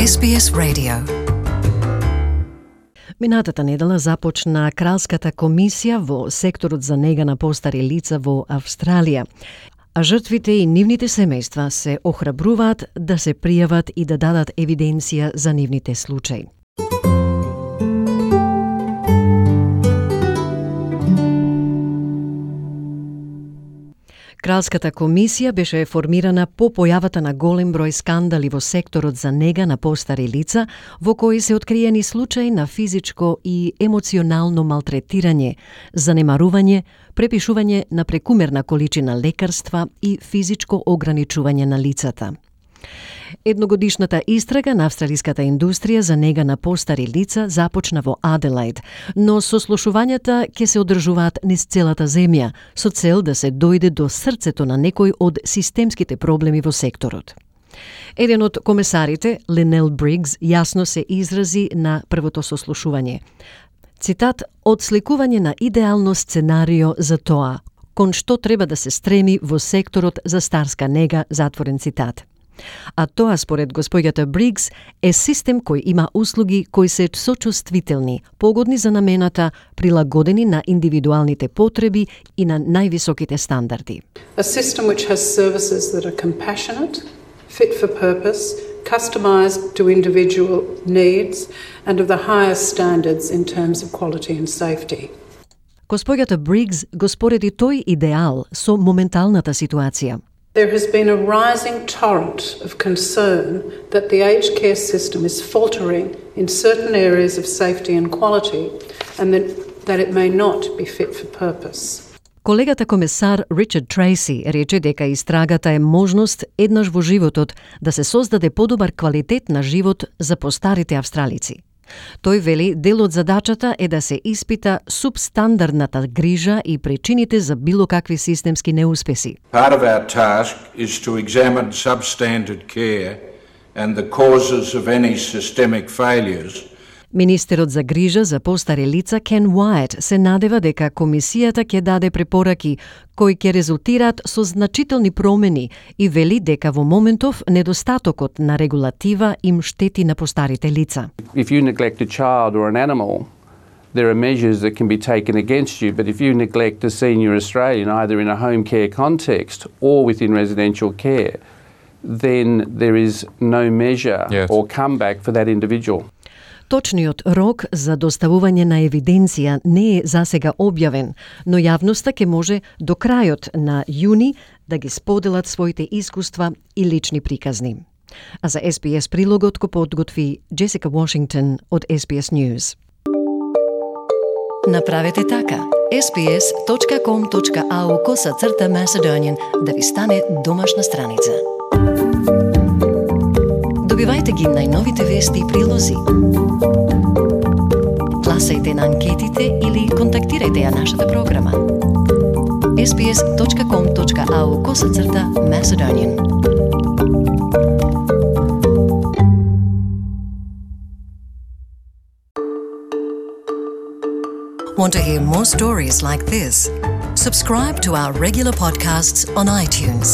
SBS Radio. Минатата недела започна Кралската комисија во секторот за нега на постари лица во Австралија, а жртвите и нивните семејства се охрабруваат да се пријават и да дадат евиденција за нивните случаи. Кралската комисија беше формирана по појавата на голем број скандали во секторот за нега на постари лица, во кои се откриени случаи на физичко и емоционално малтретирање, занемарување, препишување на прекумерна количина лекарства и физичко ограничување на лицата. Едногодишната истрага на австралиската индустрија за нега на постари лица започна во Аделаид, но сослушувањата ќе се одржуваат низ целата земја, со цел да се дојде до срцето на некој од системските проблеми во секторот. Еден од комесарите, Линел Бригс, јасно се изрази на првото сослушување. Цитат: "Одсликување на идеално сценарио за тоа, кон што треба да се стреми во секторот за старска нега", затворен цитат. А тоа, според госпоѓата Бригс, е систем кој има услуги кои се сочувствителни, погодни за намената, прилагодени на индивидуалните потреби и на највисоките стандарди. A system which has services that are compassionate, fit for purpose, customized to individual needs and of the highest standards in terms of quality and safety. Госпоѓата Бригс го спореди тој идеал со моменталната ситуација. There has been a rising torrent of concern that the aged care system is faltering in certain areas of safety and quality and that it may not be fit for purpose. Колегата комесар Ричард Трейси рече дека истрагата е можност еднаш во животот да се создаде подобар квалитет на живот за постарите австралици. Тој вели дел од задачата е да се испита субстандардната грижа и причините за било какви системски неуспеси. Part of our task is to examine substandard care and the causes of any systemic failures. Министерот за грижа за постари лица Кен Уајт се надева дека комисијата ќе даде препораки кои ќе резултираат со значителни промени и вели дека во моментов недостатокот на регулатива им штети на постарите лица. If you neglect a child or an animal, there are measures that can be taken against you, but if you neglect a senior Australian either in a home care context or within residential care, then there is no measure or comeback for that individual. Точниот рок за доставување на евиденција не е засега објавен, но јавноста ќе може до крајот на јуни да ги споделат своите искуства и лични приказни. А за SBS прилогот го подготви Джесика Вашингтон од SBS News. Направете така. sbs.com.au/Macedonian да ви стане домашна страница. Добивајте ги најновите вести и прилози. Гласајте на анкетите или контактирајте ја нашата програма. sbs.com.au/Macedonian. Want to hear more stories like this? Subscribe to our regular podcasts on iTunes.